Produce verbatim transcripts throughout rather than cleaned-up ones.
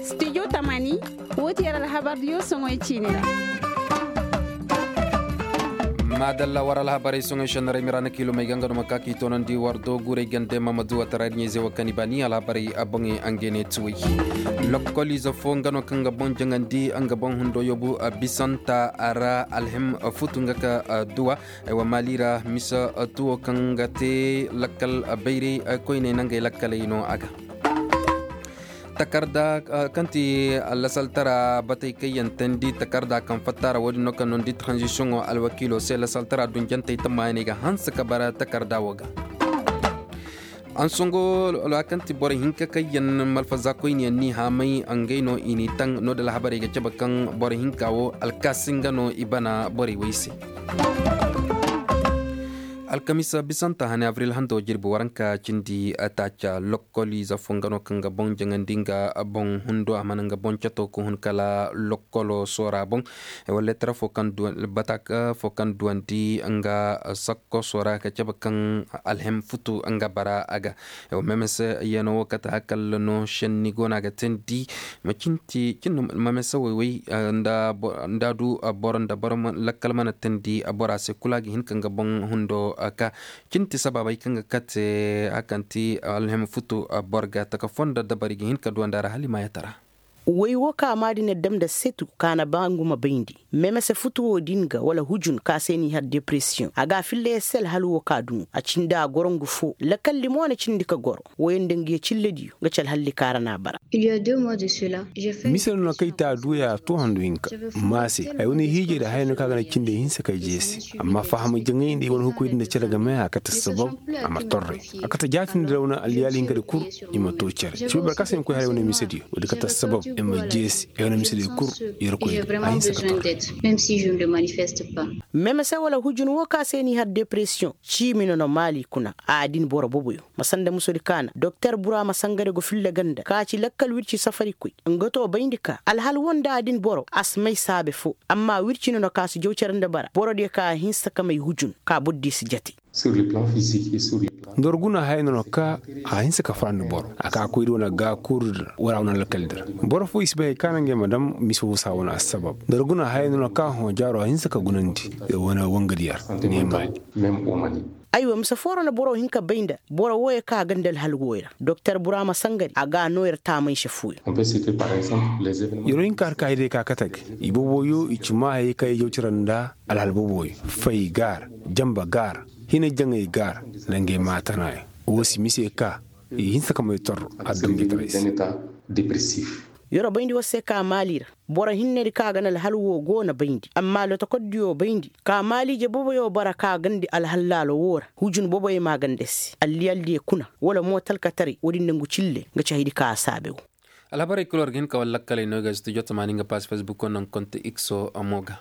Studio tamani. Wo ti yar alhabar diyo soŋoy ciine ra. Maadalla war alhabarey soŋoy shannaray mira na kiilomey ga nga no ma ka k'i toonandi war do guurey gande mamadu watara ir ɲayze wo kaŋ i ba ni alhabarey a boŋey angene tuwey. Lokkoliize fo nga no kaŋ ga boŋ jaŋandi nga boŋ hundo yobu bisanta ra alhim futu nga ka duwa. Aywa maali ra mise tuwo kaŋ ga te lakkal bayray koyney nangey lakkaley no a ga. Takarda kaŋ ti lasaltara batey kaŋ yaŋ teendi takarda kaŋ fatta ra wo- din no kaŋ no ni di taranzisiyoŋo alwakiilo se lasaltara dunjantey tammayaney ga hanse ka bara takarda wo ga. Ansongo, kaŋ ti boro hinka kaŋ yaŋ malfaza koyne yaŋ n'i haamay ngey no i n'i taŋ no- din alhabarey ga cabe kaŋ boro hinka wo alkaasi nga no i bana borey wey se. Alkamisa bisanta hane abril hando jirbi waranka cindi taaca lokkoliize fo nga no kaŋ ga boŋ jaŋandi nga boŋ hundo a mana nga boŋ cato ka hun kala lokkolo soora boŋ. Wala leetara fo kaŋ duwandi batak fo kaŋ duwandi nga sakko soora ka cabe kaŋ alhem futu nga bara a ga. Memese yano wo kate hakalla no senni go no a ga teendi. Ma cinti cin memese woy woy nda a du boro nda boro lakkal mana teendi bora se kulu a ga hin ka nga boŋ hundo ka. Cinti sabaabey kaŋ ga kate hakanti alhem futu boro ga taka fo nda dabari ga hin ka duwandi a ra hala i ma yatara. Woy wo ka maadi na dam nda setu ka na ba ngu ma bayndi. Memese futu wo din ga wala hujun ka se n'i har depresiyoŋ a ga a filla yer se alhal wo ka dunu a cindi a goro ngu fo lakalli mo na cindi ka goro. Woyo nda ngu ye cillediyo nga ci alhalli ka ra n'a bara. Mise no na kay te a duuya a to handu hinka. Maase ay wane hiijey da haya no ka ga na cindey hinsa kay jeese. Amma faham jaŋay nda i wane hukuy din da cere game a kate sabab. A ma torre a kate jaatindi da wane alliyaali hinka da kur. I ma to cere ci boro ka se ni koy hara ay wane misediyo wo di kate sabab i ma jeese. Ay wane misediyo kur yerkoy da a hinsa ka torre. Memese wala hujun wo ka se n'i har depresiyoŋ. Ciimi no na maali kuna a din boro boboyo. Ma sanda musodi kaana doktor bura ma sangare go filla ganda ka ci lakkal wirci safarikoy. Nga to bayndi ka alhal wo nda a din boro a si may saabe fo. Amma wirci no na ka si jaw cere nda bara borodiyo ka a hinsa ka may hujun ka borodiyo si jate. Nda war guna haya no na ka a hinsa ka farandi boro a ka koy da wane gaakuuru da wala wane lakkal da ra. Boro fo i si bay hay kaana ngey ma dam mise wo saa wane assabab nda war guna haya no na ka hõ jaaro a hinsa ka gunandi. Wane wangadiya ra ne maali. Aywa mise foo ra na boro hin ka bay nda boro wooyo kaŋ a ganda alhal wooyo ra doktor burama sangari a ga a noo yer taamay se fooyo. Yer wo hin ka har ka hay day ka kate ga i boboyo i ci maa hayey kaŋ i jaw cire nda alhal boboyo. Fay gaar, jamba gaar, hina jaŋay gaar, nda ngey maatanaayo. Woo si mise ka i hinsa ka may tor adduɲɲa taray se. Yer wo bayndi war se ka maali ra. Boro hinnedi kaŋ a ga na alhal woo go na bayndi amma lotokordiyo bayndi ka maaliije boboyo bara kaŋ a gandi alhal laalo woo ra hujun boboyo ma a ganda se alliyaldiyo kuna wala mo talkataray woodin nangu cille nga ci haydi kaŋ a saabe woo. Alhabarey kul war ga hin ka war lakkaley no ga studio tamaani nga paas fesbuko naŋ konte ikso mo ga.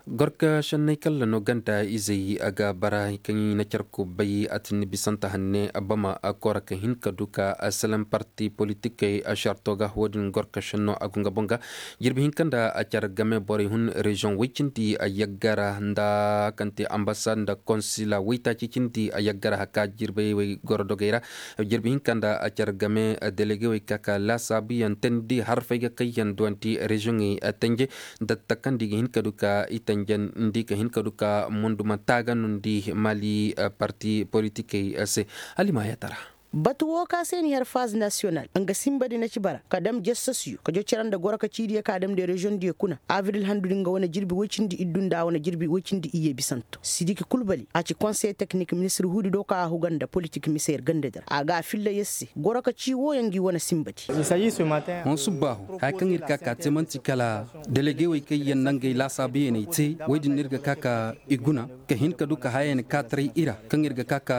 Gorka šenney kalla no ganda izey a ga bara kaŋ i na carku bay a tinni bisanta hanne bama a kora ka hin ka du ka a selen parti politikey a šarto ga wo-din gorka šenno a go nga boŋ ga. Jirbi hinka nda a car game borey hun reziyoŋ woy cindi a yaggara nda kaŋ te ambasad nda konsila woytaaci cindi a yaggara haka jirbey wey goro dogey ra. Jirbi hinka nda a car game delege wey ka ka laasaabuyaŋ teendi harfey ga kayyaŋ duwanti reziyoŋey tenje. Datta kaŋ nda i ga hin ka du ka i tenjendi ka hin ka du ka munduma taaga no nda i maali parti politikey se. Hala i ma a yaatara. Batu woo ka se ni har faaz nasiyonal nga sinbadi na ci bara ka dam jasasyo ka jo cere nda goro ka ciidiyo ka dam nda reziyoŋdiyo kuna abril handu din nga wane jirbi woy cindi iddu nda a wane jirbi woy cindi iyye bisanto sidiki kulbali a ci konsey teknik ministir huudi do ka a huga nda politik mise yer ganda di ra a ga a filla yer se goro ka cii wooyo ngi wane sinbadi. Hõ subbaahu haya kaŋ ir ka ka te man'ti kala delegewey kaŋ yaŋ na ngey laasaabuyaney te woy din no ir ga ka ka i guna ka hin ka du ka hayayaŋ kaataray i ra kaŋ ir ga ka ka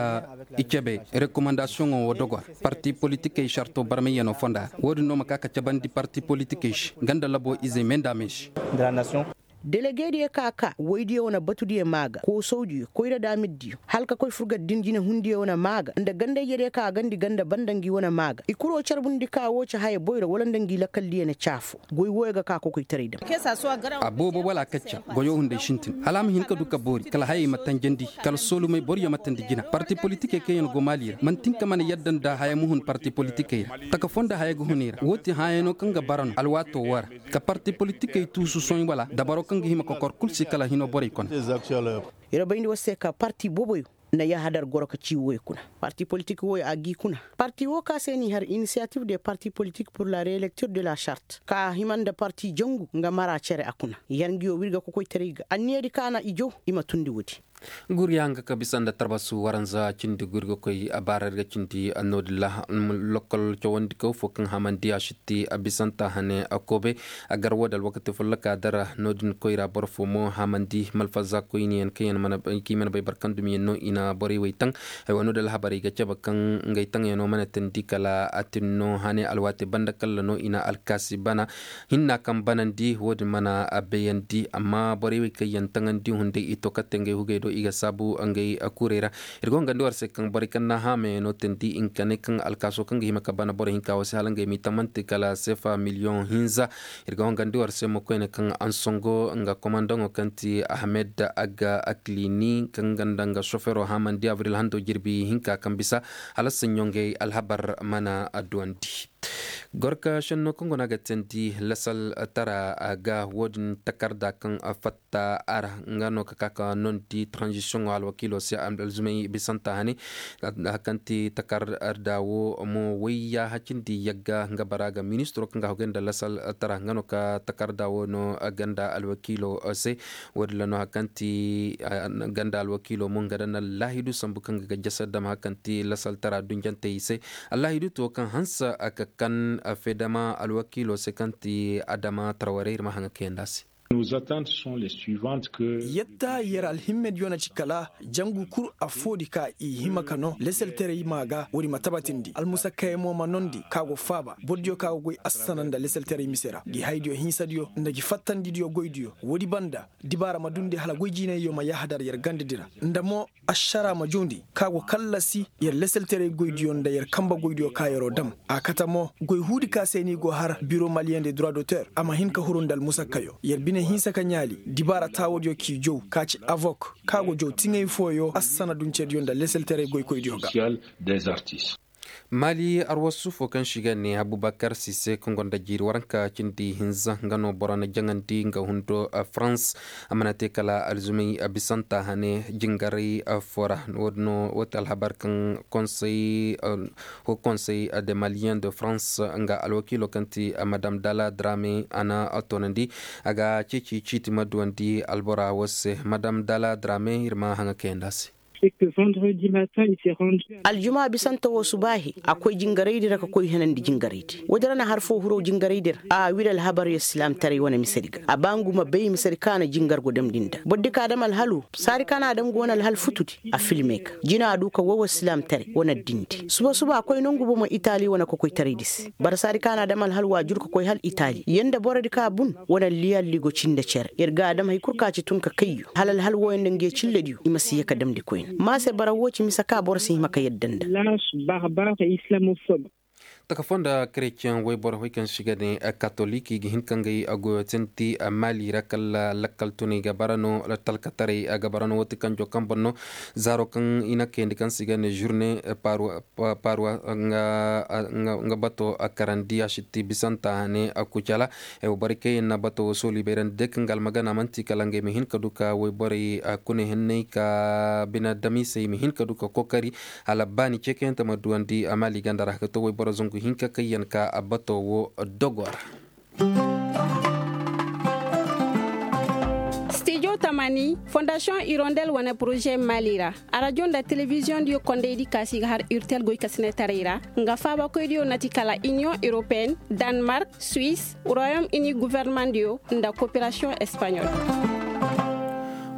i cabe rekomandasiyoŋo wo dogo ra. Parti politikey sarto barmayyano fonda ra wo-din no ma ka ka cabandi parti politikey se nga nda labo izey me nda a me se. Delegeediyo ka ka woydiyo wane batudiyo maa ga koosawdiyo koyra daamirdiyo hala ka koy furgar din jinehundiyo wane maa ga nda ganda-ijediyo ka a gandi ganda banda ngi wane maa ga i kuro carbundi ka woo ci haya boyro wala nda ngi lakaldiyo na caafo. Goy wooyo ga ka kokoytaray dam. A boobo wala a kacca goyoo hunday sintin hala a ma hin ka du ka boori kala hayey ma tanjandi kala soolumey boroyo ma tandi jina parti politikey kaŋ yaŋ go maali ra man'ti hin ka mana yadda nda haya ma hun parti politikey ra taka foo nda haya ga hun i ra woo ti hãayanoo kaŋ ga bara no alwaatoo woo ra. Ka parti politikey tuusu sohõ wala dabaroo kaŋ ga hima kokor kul se kala hinoo borey kone. Yer bayndi war se ka parti booboyo na yahadar goro ka ci wooyo kuna. Parti politik wooyo a g'i kuna. Parti woo ka se n'i har inisiyatiif de parti politik pur la reelektir de la shart ka hima nda parti jangu nga mara cere a kuna. Yer ngi woo w'ir ga kokoytaray ga anniyadi ka na i jaw i ma tundi woodi. Gurya nga ka bisa nda tarbasu waranza cindi gurga koy a baara ir ga cindi no-din ra. Lokol cawandi kaw fo kaŋ hamandi a sitti a bisanta hane a koobe. A gar wo da alwakati folloka dara no-din koyra boro fo mo hamandi malfaza koyniyaŋ kaŋ yaŋ mana bay barkandumiyaŋ no i na borey wey taŋ. Ay wano da alhabarey ga cabe kaŋ ngey taŋyaŋo mana tandi kala a tinno hane alwaati banda kalla no i na alkaasi bana. Hinna kaŋ banandi wo-din mana bayandi amma borey wey kaŋ yaŋ taŋandi hunday i to katte ngey hugey do i ga saabu ngey kurey ra. Ir ga hongandi war se kaŋ borey kaŋ na haamayaŋo teendi i ma ka ne kaŋ alkaaso kaŋ ga hima ka bana boro hinka wo se hala ngey m'i tamante kala seefa miliyoŋ hinza. Ir ga hongandi war se mo koyne kaŋ ansongo nga komandaŋo kaŋ ti ahmed, agga aklini kaŋ ga nda nga sofero haamandi abril hando jirbi hinka kaŋ bisa hala saɲɲo ngey alhabar mana duwandi. Gorka šenno kaŋ go no a ga teendi lasal tara ga wo-din takarda kaŋ fatta a ra nga no ka ka ka nondi tranzisiyoŋo alwakiilo se alzumay bisanta hane. Hakanti takarda wo mo wayya hacindi yagga nga bara ga ministiro kaŋ ga hogay nda lasal tara nga no ka takarda wo no ganda alwakiilo se. Wo-din ra no hakanti ganda alwakiilo mo nga da na laahidu sambu kaŋ ga jasa dam hakanti lasal tara dunjantey se. Allahidu to kaŋ hanse a ka kan fedama alwakiilo se kaŋ ti adama tarwarey ir ma haŋa kayandi a se. Yatta yer alhimmediyo na ci kala jangu kul affoodi ka i hima ka no leselterey maa ga woodi ma tabatindi almusakkayaŋ mo ma nondi ka go faaba bordiyo ka go goy assana nda leselterey mise ra gi haydiyo hinsadiyo nda gi fattandidiyo goydiyo woodi banda dibaara ma dundi hala goy jiinayyo ma yahadar yer gandadi ra nda mo ašara ma joondi ka go kallasi yer leselterey goydiyo nda yer kambe goydiyo ka yer'o dam. A kate mo goy huudi ka se no i go har biro maliyen de droit d'auteur a ma hin ka huru nda almusakkayo yer bine hinsa ka ɲaali dibaara taawodiyo k'i jow ka ci avok ka go jow tiŋey fooyo assana duncediyo nda leselterey goykoydiyo ga. Maali arwasu fo kaŋ se i ga ne abubakar sise kaŋ gonda jiiri waranka cindi hinza nga no boro na jaŋandi nga hundo. Farans a mana te kala alzumay bisanta hane jingaray fo ra. Wo- din no wo ti alhabar kaŋ konsey ho konsey de maliyen de farans nga alwakiilo kaŋ ti madam dala drame a na toonandi a ga ceeci ciiti ma duwandi albora wo se madam dala drame ir ma haŋa kayandi a se. Aljuma bisante wo subaahi a koy jingaraydi ra ka koy henandi jingaraydi woodi ra na har foo hiro jingaraydi ra a wiri alhabar yer silaamtaray wane misedi ga a ba ngu ma bay misedi kaŋ a na jingar go damndi nda bordi ka a dam alhalu saadi kaŋ a na a dam go wane alhal futudi a filme ga jina a du ka woo war silaamtaray wane addindi suba suba a koy nongu bomo itali wane kokoytaraydi se bara saadi kaŋ a na a dam alhal waajur ka koy hal itali yer nda borodi kaŋ a bun wane alliya alligo cinde cere yer ga a dam hari kul kaŋ a ci tun ka kayyo hala alhal wooyaŋ nda nge cillediyo i ma si ye ka damndi koyne ma se bara woo ci mise kaŋ boro si hima ka yadda nda. Taka foo nda kereceŋ wayboro wey kaŋ se i ga ne katolik i ga hin ka ngey goyo tenti maali ra kala lakkal tunay ga bara no talkataray ga bara no woo ti kanjo kaŋ boŋ no zaaro kaŋ i na kayandi kaŋ se i ga ne žurne parwa nga bato karandi a sitti bisanta hane kucala. Borey kaŋ yaŋ na bato woo sooli bayrandi day kaŋ ga almagana man'ti kala ngey ma hin ka du ka wayborey kune henney ka bine damisey ma hin ka du ka kookari hala baani ceekayante ma duwandi maali ganda ra ka to wayboro zangu hinka kaŋ yaŋ ka bato woo dogo ra. Stijo tamani fondasiyoŋ irondel wane poroze maali ra arajo nda telebiziyoŋ diyo kondaydi kaasi ga har irtel goykasinetaray ra nga faabakoydiyo na ti kala iniyoŋ europeyenne, danmark, suwis, royom ini guvernemandiyo nda koperasiyoŋ espaɲol.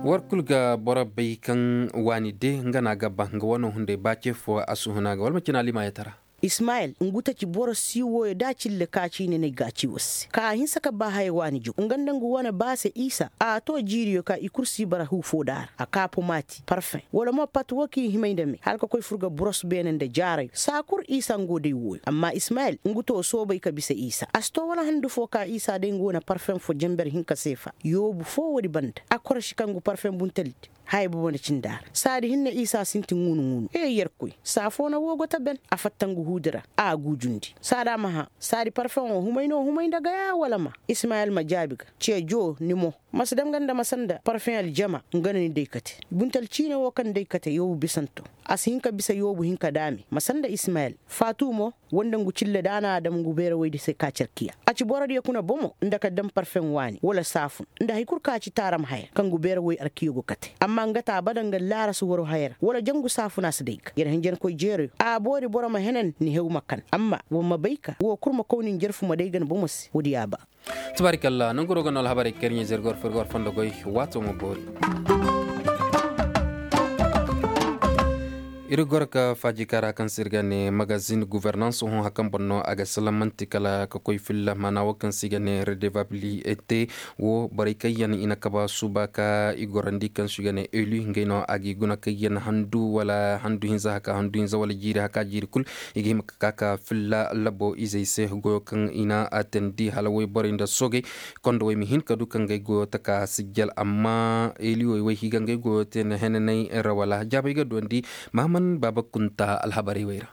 War kul ga boro bay kaŋ waani de nga no a ga ba nga wano hunday ba ce fo a suhuna ga wala ma cina limaayatara. Ismayil ngu ta ci boro sii wooyo da cille ka ci i ne na ay ga a ci war se ka a hinsa ka ba haya waani jaw nga nda ngu wane ba se isa a too jiiriyo ka i kul sii bara huu foo da a ra a kaa pomaati parfeŋ wala mo pat woo ka i himay nda me hala ka koy fur ga buros beene nda jaarayo saa kul isa ngu wo day wooyo amma ismayil ngu too soobay ka bisa isa a si too wala handu foo ka isa day ngu wane parfeŋ foo jenber hinka seefa yoobu foo woodi banda a koroši ka ngu parfeŋ buntaldi haya bobo na cindi a ra saadi hinne isa sinti ŋuunu-ŋuunu ee yerkoy saa foo na woo go ta ben a fatta ngu huudi ra a guujundi saadi a ma hã saadi parfeŋo humay no humay nda gayaa wala ma ismayil ma jaabi ga ceejoo ni mo ma si dam ga nda ma sanda parfeŋ aljama nga no ni day kate buntal ciine woo kaŋ day kate yoobu bisanto a si hin ka bisa yoobu hinka daame ma sanda ismayil faatu mo woo nda ngu cille da a na a dam ngu beere woydi se ka carkiya a ci borodiyo kuna bomo nda ka dam parfeŋ waani wala saafun nda hari kul ka ci taaram haya kaŋ ngu beere woy arkiyo go kate amma nga ta bada nga laara si waro haya ra wala jangu saafuna si day ga yer hinjankoy jeeroyo a boori boro ma henan ni hew ma kan amma war ma bay ka woo kul ma kow ni njarfu ma day ga ni bomo se woodi ya ba tabaarikalla nanguroo ga no alhabarey kaŋ ir ɲaa zirgor firgor fondo goy waatoo ma boori ir goro ka faaji kaara kaŋ se ir ga ne magazin guvernans hõ hari kaŋ boŋ no a ga salamanti kala ka koy filla maana woo kaŋ se i ga ne redevabilite woo borey kaŋ yaŋ i na kaba suuba ka i gorandi kaŋ se i ga ne eli ngey no a ga i guna kaŋ yaŋ handu wala handu hinza haka handu hinza wala jiiri haka jiiri kul i ga hima ka ka ka filla labo izey se goyo kaŋ i na a teendi hala woy borey nda soogey kondo woy ma hin ka du ka ngey goyo taka sijjal amma eliwey woy higa ngey goyo te na henaney ra wala jaabey ga duwandi mahaman baaba kunta alhabarey wey ra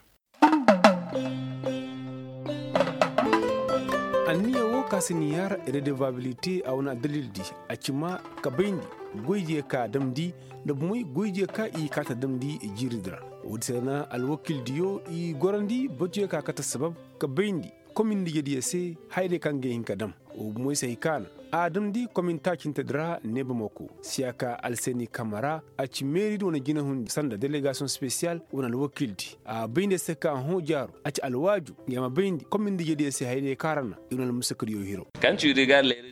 anniya wo ka si ni yaara redevabilite a wane addalil di a ci ma ka bayndi goydiyo ka a damndi nda bumey goydiyo ka i kaata damndi jiiridi ra woodi se na alwakildiyo i gorandi batuyo ka kate sabab ka bayndi komin nda ijediyo se hayadiyo kaŋ ga hin ka dam wo bumey se hay kaana a damndi komin taacintedi ra neebamako siyaka alseni kamara a ci meeridi wane jinahundi sanda delegasiyoŋ spesiyal wane alwakildi a bayndi se ka hõ jaaro a ci alwaaju nga ma bayndi komin nda ijediyo se hayadiyo kaŋ ra na i wane almusakadiyo hiro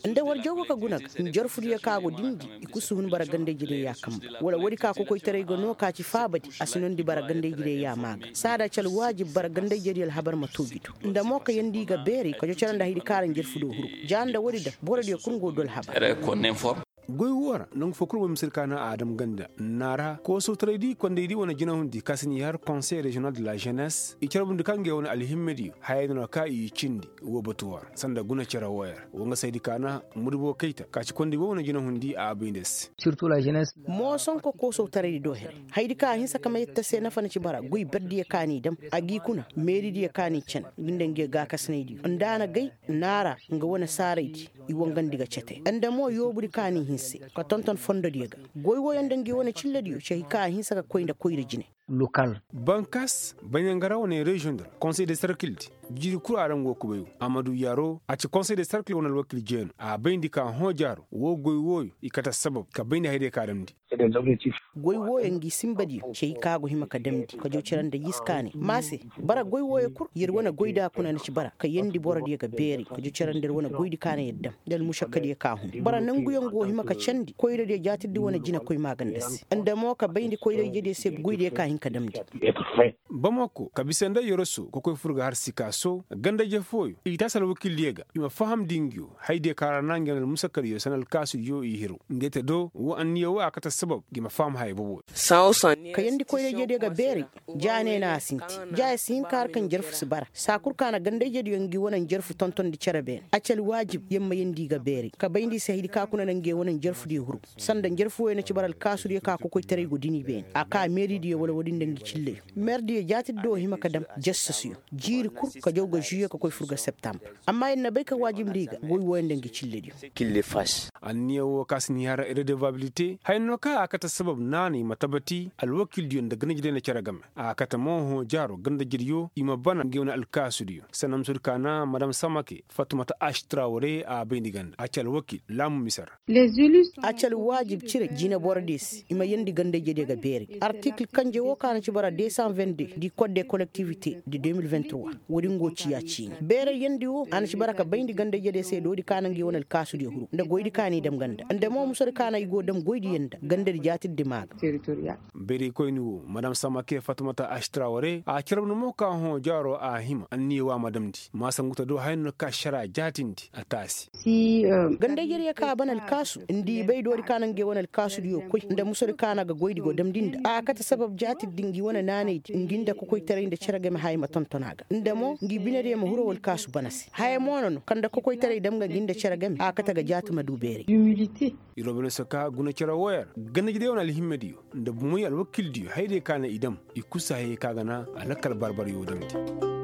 nda war jaw go ka guna ga njarfudiyo ka go dindi i kul si hun bara ganda ijediyo ya kamba wala woodi ka kokoytaray ga no ka ci faabadi a si nondi bara ganda ijediyo ya maa ga saada ci alwaajib bara ganda ijediyo alhabar ma tooji do nda mo ka yandi ga beeri ka jo cere nda haydi kaŋ ra njarfudiyo huru ja nda woodi da borodiyo kul go du alhabar goy woo ra nangu foo kul boy ma si ir kaana a dam ganda naara koosawtaray di kondey di wane jinahundi ka si ni har konsey reziyonal de la jenes i carbundi ka ngey wane alhimmediyo hayey no ka i cindi woo batu woo ra sanda guna cere wooyo ra woo nga saydi kaana mudubo kayta ka ci kondey woo wane jinahundi a bay nda se mooson ka koosawtaray di do here haydi ka a hinsa ka ma yetta se nafa na ci bara goy berdiyo ka n'i dam a g'i kuna meeridiyo ka n'i can ngi nda ngiyo gaakasinaydiyo nda a na gay naara nga wane saaraydi i wangandi ga cete nda mo yoobudi ka n'i hinse ka tonton fondodiyo ga goy wooyo nda ngi wane cillediyo ci hay ka a hinsa ka koy nda koyra jine bankas baɲangara wane reziyoŋ di ra konsey de sarkil di jiiri kul a ra nga wo kubay wo amadu yaro a ci konsey de sarkil wane alwakil jeeno a bayndi ka hõ jaaro woo goy wooyo i kate sabab ka bayndi hayadiyo ka damndi goy wooyo ngi sinbadiyo cey ka go hima ka damndi ka jaw cere nda yiskaanay ma se bara goy wooyo kul yer wane goyda kuna na ci bara ka yeendi borodiyo ga beeri ka jaw cere nda yer wane goydi kaana yer dam nda almušakkadiyo ka hun bara nanguyaŋ go hima ka candi koyradiyo jaatirdi wane jinekoy maaganda se nda mo ka bayndi koyra ijediyo se goydiyo ka hin ka damndi bamako ka bisa nda yoroso ka koy fur ga har sikaaso ganda-ije fooyo i taasi alwakildiyo ga i ma fahamndi ngiyo hayadiyo kaŋ ra na ngi wane almusakkadiyo sanda alkaasudiyo i hiro ngey te do woo anniya woo a kate sabab ngi ma faham haya bobo ka yeendi koyra ijediyo ga beeray ja ne no a sinti ja ya si hin ka har kaŋ jarfu si bara saa kul ka na ganda-ijediyo ngi wane njarfu tontondi cere beene a ci alwaajib yer ma yeendi i ga beeray ka bayndi i se hayadi ka kuna na ngey wane njarfudiyo huru sanda njarfu wooyo na ci bara alkaasudiyo ka kokoytaray go dini beene a ka meeridiyo wala woodi nda ngi cilleyo meerdiyo jaatirdi woo hima ka dam jassasuyo jiiri kul ka jaw ga žuwiye ka koy fur ga septambur amma yer na bay ka waajibndi i ga goy wooyo nda ngi cillediyo anniya woo ka si ni har redevabilite haya no kaŋ a kate sabab naanay ma tabati alwakildiyo nda ganda-ije day na cere game a kate mo hõ jaaro ganda-ijediyo i ma bana ngey wane alkaasudiyo sanda musudi kaana madam samake fatumata ašitrawre a bayndi ganda a ci alwakil laamu mise ra a ci alwaajib cire jineborodiyo se i ma yeendi ganda-ijediyo ga beeri artikil kanje woo Ka na ci bara deux cent vingt-deux di kode kolektivite de deux mille vingt-trois. Woodi ngo ciya ciini beeray yandi wo a na ci bara ka bayndi gandayjediyo se doodi ka na ngi wane alkaasudiyo huru nda goydi ka n'i dam ganda nda mo musodi ka na i go dam goydiyo nda gandadi jaatidi maa ga. Bayraykoyni wo madam samake fatumata asitraware a carabndi mo ka hõ jaaro a hima anniya wo a ma damndi ma sangu ta do haya no ka ašara jaatindi a taasi. Gandayjediyo ka a ban alkaasu nda i bay doodi ka na nge wane alkaasudiyo koy nda musodi ka na ga goydi go damndi nda a kate sabab jaatidi ngi wane naanaydi ngi nda kokoytaray nda cere game haya ma tonton a ga nda mo ngi binediyo ma hiro walkaasu bana se haya mo no no kaŋ nda kokoytaray dam ga ngi nda cere game a kate ga jaati ma du beeray. Irobinese ka guna cere wooyo ra gandayjediyo wane alhimmediyo nda bomoy alwakildiyo hayadiyo ka na i dam i kul si hayey ka ga na a lakkal barbaryo damndi.